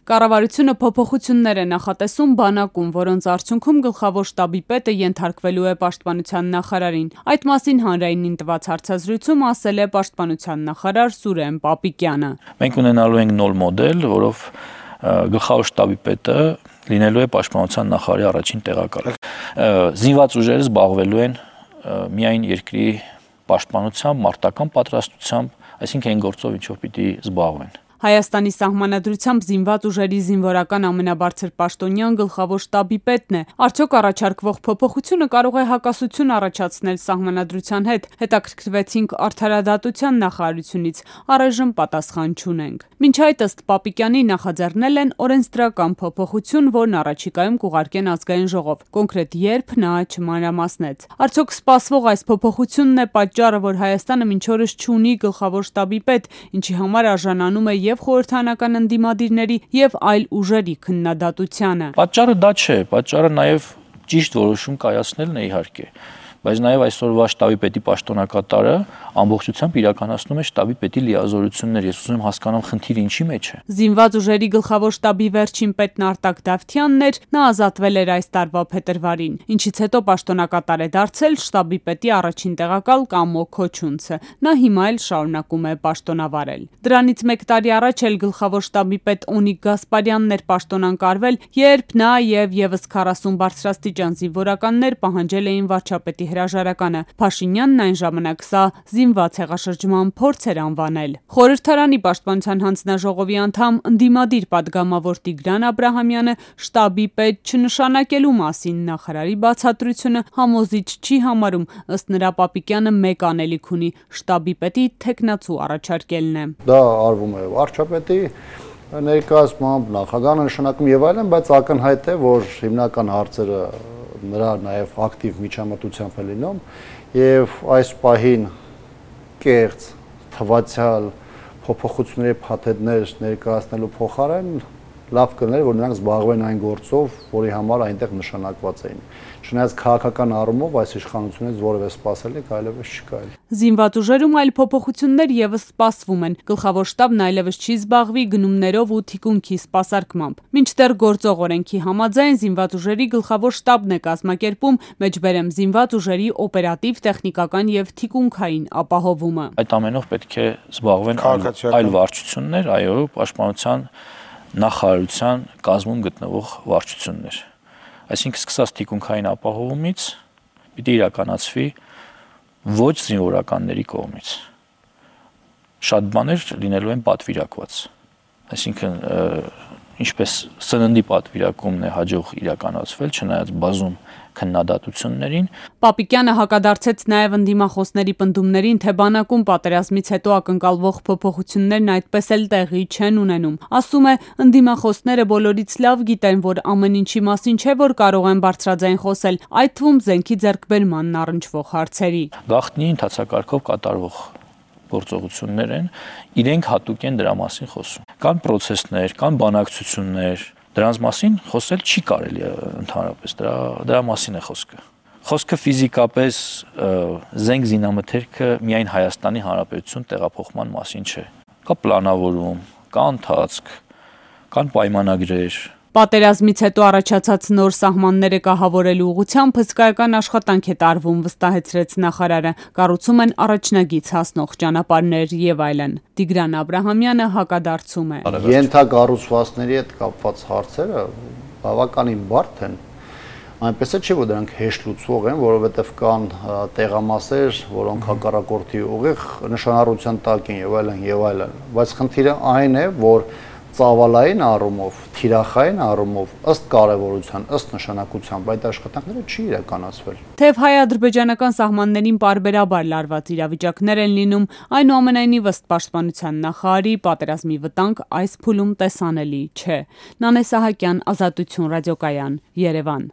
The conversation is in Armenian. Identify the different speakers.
Speaker 1: Կառավարությունը փոփոխություններ է նախատեսում բանակում, որոնց արդյունքում գլխավոր շտաբի պետը ենթարկվելու է պաշտպանության նախարարին։ Այդ մասին հանրայինին տված հարցազրույցում ասել է պաշտպանության նախարար Սուրեն Պապիկյանը։
Speaker 2: Մենք ունենալու ենք նոր մոդել, որով գլխավոր շտաբի պետը լինելու է պաշտպանության նախարարի առաջին տեղակալը։ Զինված ուժերը զբաղվելու են միայն երկրի պաշտպանությամբ, մարտական պատրաստությամբ, այսինքն այն գործով, ինչով պիտի զբաղվեն։
Speaker 1: Հայաստանի սահմանադրությամբ զինված ուժերի զինվորական ամենաբարձր պաշտոնյան գլխավոր շտաբի պետն է։ Արդյոք առաջարկվող փոփոխությունը կարող է հակասություն առաջացնել սահմանադրության հետ։ Հետաքրքրվեցինք Արդարադատության նախարարությունից, առայժմ պատասխան չունենք։ Մինչ այդ ըստ Պապիկյանի նախաձեռնել են օրենսդրական փոփոխություն, որն առաջիկայում կուղարկեն ազգային ժողով։ Կոնկրետ երբ նա չմանրամասնեց։ Արդյոք սպասվող այս փոփոխությունն է պատճառը, որ Հայաստանը մինչ օրս չունի գլխավոր շտաբի պետ, ինչի համար արժանանում է եւ խորհրդարանական ընդդիմադիրների եւ այլ ուժերի քննադատությանը։
Speaker 2: Պատճառը դա չէ, պատճառը նաեւ ճիշտ որոշում կայացնելն է իհարկե, բայց նաեւ այսօրվա շտաբի պետի պաշտոնակատարը ամբողջությամբ իրականացնում է շտաբի պետի լիազորություններ։ Ես ուզում եմ հասկանամ խնդիրը ինչի մեջ է։
Speaker 1: Զինված ուժերի գլխավոր շտաբի վերջին պետն Արտակ Դավթյանն էր, նա ազատվել էր այս տարվա փետրվարին, ինչից հետո պաշտոնակատար է դարձել շտաբի պետի առաջին տեղակալ Կամո Քոչունցը։ Նա հիմա էլ շարունակում է պաշտոնավարել։ Դրանից մեկ տարի առաջ էլ գլխավոր շտաբի պետ Օնիկ Գասպարյանն էր պաշտոնանկարվել, երբ նա եւ եւս 40 բարձրաստիճան զինվորականներ պահանջել էին վարչապետի հրաժարականը։ Փաշինյանն այն ժամանակ սա զինված հեղաշրջման փորձ էր անվանել։ Խորհրդարանի պաշտպանության հանձնաժողովի անդամ ընդդիմադիր падգամավոր Տիգրան Աբրահամյանը շտաբի պետ չնշանակելու մասին նախարարի բացատրությունը համոզիչ չի համարում, ըստ նրա Պապիկյանը մեկ անելիք ունի՝ շտաբի պետի թեկնածու առաջարկելն է։
Speaker 3: Դա արվում է վարչապետի ներկայացմամբ, նախագահը նշանակում եւ այլն, բայց ակնհայտ է, որ հիմնական հարցերը նրա նաեւ ակտիվ միջամտությամբ է լինում եւ այս պահին կեղծ թվացial փոփոխությունների փաթեթներ ներկայացնելու փոխարեն լավ կներ, որ նրանք զբաղվեն այն գործով, որի համար այնտեղ նշանակված էին։ Չնայած քաղաքական առումով այս իշխանությունից որևէ սպասելիք այլևս չկա։
Speaker 1: Զինված ուժերում այլ փոփոխություններ եւս սպասվում են։ Գլխավոր շտաբն այլևս չի զբաղվի գնումներով ու թիկունքի սպասարկմամբ։ Մինչդեռ գործող օրենքի համաձայն զինված ուժերի գլխավոր շտաբն է կազմակերպում մեջբերեմ զինված ուժերի օպերատիվ, տեխնիկական եւ թիկունքային ապահովումը։
Speaker 2: Այդ ամենով պետք է զբաղվեն այլ վարչություններ, այո, պաշտպանության նախարարության կազմում գտնվող վարչություններ։ Այսինքն սկսած թիկունքային ապահովումից պիտի իրականացվի ոչ զինվորականների կողմից։ Շատ բաներ լինելու են պատվիրակված։ Այսինքն ինչպես սննդի պատվիրակումն է հաջող իրականացվել, չնայած բազում քննադատություններին։
Speaker 1: Պապիկյանը հակադարձեց նաև ընդդիմախոսների պնդումներին, թե բանակում պատերազմից հետո ակնկալվող փոփոխություններն այդպես էլ տեղի չեն ունենում։ Ասում է, ընդդիմախոսները բոլորից լավ գիտեն, որ ամեն ինչի մասին չէ, որ կարող են բարձրաձայն խոսել, այդ թվում զենքի ձեռքբերմանն առնչվող հարցերի։
Speaker 2: Գաղտնի ընթացակարգով կատարվող գործողություններ են, իրենք հատուկ են դրա մասին խոսում։ Կան պրոցեսներ, կան բանակցություններ, դրանց մասին խոսել չի կարելի ընդհանրապես, դրա մասին է խոսքը։ Խոսքը ֆիզիկապես զենք զինամթերքը միայն Հայաստանի Հանրապետություն տեղափոխման մասին չէ։ Կա պլանավորում, կա ընթացք, կան պայմանագրեր։
Speaker 1: Պատերազմից հետո առաջացած նոր սահմանները կահավորելու ուղղությամբ հսկայական աշխատանք է տարվում, վստահեցրեց նախարարը։ Կառուցում են առաջնագիծ հասնող ճանապարհներ եւ այլն։ Տիգրան Աբրահամյանը հակադարձում է։
Speaker 3: Ենթակառուցվածքների հետ կապված հարցերը բավականին բարդ են։ Այնպես է չէ, որ դրանք հեշտ լուծվող են, որովհետև կան տեղամասեր, որոնք հակառակորդի ուղիղ նշանառության տակ են եւ այլն, բայց խնդիրը այն է, որ ծավալային առումով, թիրախային առումով, ըստ կարևորության, ըստ նշանակության այդ աշխատանքները չի իրականացվել։
Speaker 1: Թեև հայ-ադրբեջանական սահմաններին պարբերաբար լարված իրավիճակներ են լինում, այնուամենայնիվ ըստ պաշտպանության նախարարի պատերազմի վտանգ այս փուլում տեսանելի չէ։ Նանե Սահակյան, Ազատություն ռադիոկայան, Երևան։